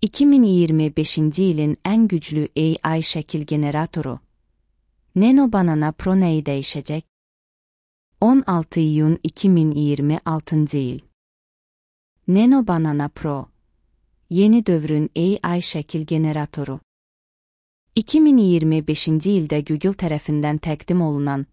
2025-ci ilin ən güclü AI şəkil generatoru. Nano Banana Pro nəyi dəyişəcək? 16 iyun 2026-cı il. Nano Banana Pro, yeni dövrün AI şəkil generatoru. 2025-ci ildə Google tərəfindən təqdim olunan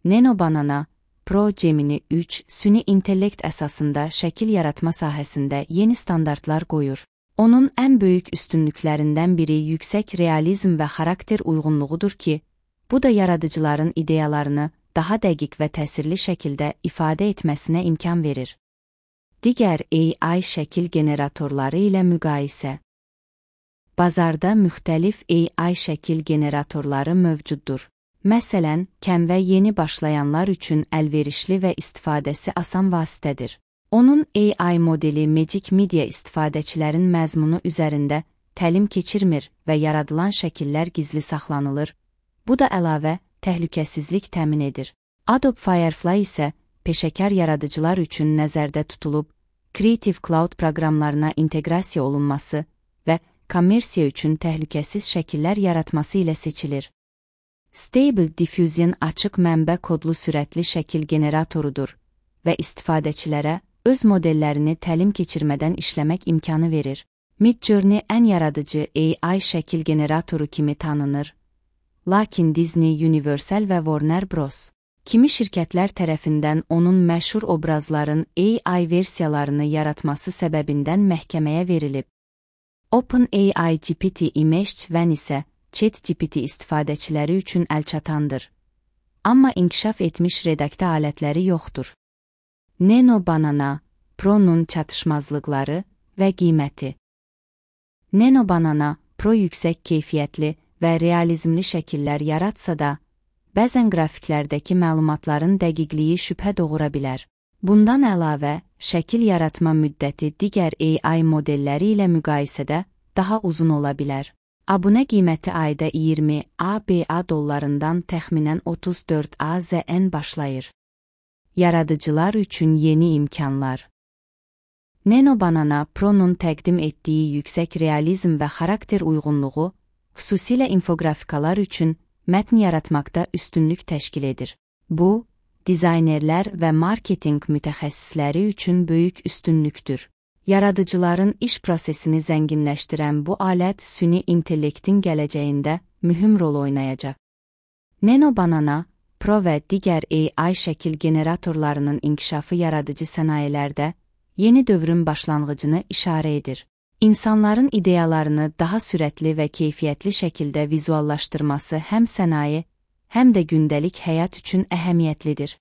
Nano Banana Pro Gemini 3 süni intellekt əsasında şəkil yaratma sahəsində yeni standartlar qoyur. Onun ən böyük üstünlüklərindən biri yüksək realizm və xarakter uyğunluğudur ki, bu da yaradıcıların ideyalarını daha dəqiq və təsirli şəkildə ifadə etməsinə imkan verir. Digər AI şəkil generatorları ilə müqayisə. Bazarda müxtəlif AI şəkil generatorları mövcuddur. Məsələn, Canva yeni başlayanlar üçün əlverişli və istifadəsi asan vasitədir. Onun AI modeli Magic Media istifadəçilərin məzmunu üzərində təlim keçirmir və yaradılan şəkillər gizli saxlanılır. Bu da əlavə təhlükəsizlik təmin edir. Adobe Firefly isə peşəkar yaradıcılar üçün nəzərdə tutulub, Creative Cloud proqramlarına inteqrasiya olunması və kommersiya üçün təhlükəsiz şəkillər yaratması ilə seçilir. Stable Diffusion açıq mənbə kodlu sürətli şəkil generatorudur və istifadəçilərə öz modellərini təlim keçirmədən işləmək imkanı verir. Midjourney ən yaradıcı AI şəkil generatoru kimi tanınır. Lakin Disney, Universal və Warner Bros. Kimi şirkətlər tərəfindən onun məşhur obrazların AI versiyalarını yaratması səbəbindən məhkəməyə verilib. OpenAI GPT Image Van isə ChatGPT istifadəçiləri üçün əlçatandır. Amma inkişaf etmiş redaktə alətləri yoxdur. Nano Banana Pro'nun çatışmazlıqları və qiyməti. Nano Banana Pro yüksək keyfiyyətli və realizmli şəkillər yaratsa da, bəzən qrafiklərdəki məlumatların dəqiqliyi şübhə doğura bilər. Bundan əlavə, şəkil yaratma müddəti digər AI modelləri ilə müqayisədə daha uzun ola bilər. Abunə qiyməti ayda 20 ABA dollarından təxminən 34 AZN başlayır. Yaradıcılar üçün yeni imkanlar. Nano Banana Pro'nun təqdim etdiyi yüksək realizm və xarakter uyğunluğu, xüsusilə infografikalar üçün mətn yaratmaqda üstünlük təşkil edir. Bu, dizaynerlər və marketinq mütəxəssisləri üçün böyük üstünlükdür. Yaradıcıların iş prosesini zənginləşdirən bu alət süni intellektin gələcəyində mühüm rol oynayacaq. Nano Banana Pro və digər AI şəkil generatorlarının inkişafı yaradıcı sənayelərdə yeni dövrün başlanğıcını işarə edir. İnsanların ideyalarını daha sürətli və keyfiyyətli şəkildə vizuallaşdırması həm sənaye, həm də gündəlik həyat üçün əhəmiyyətlidir.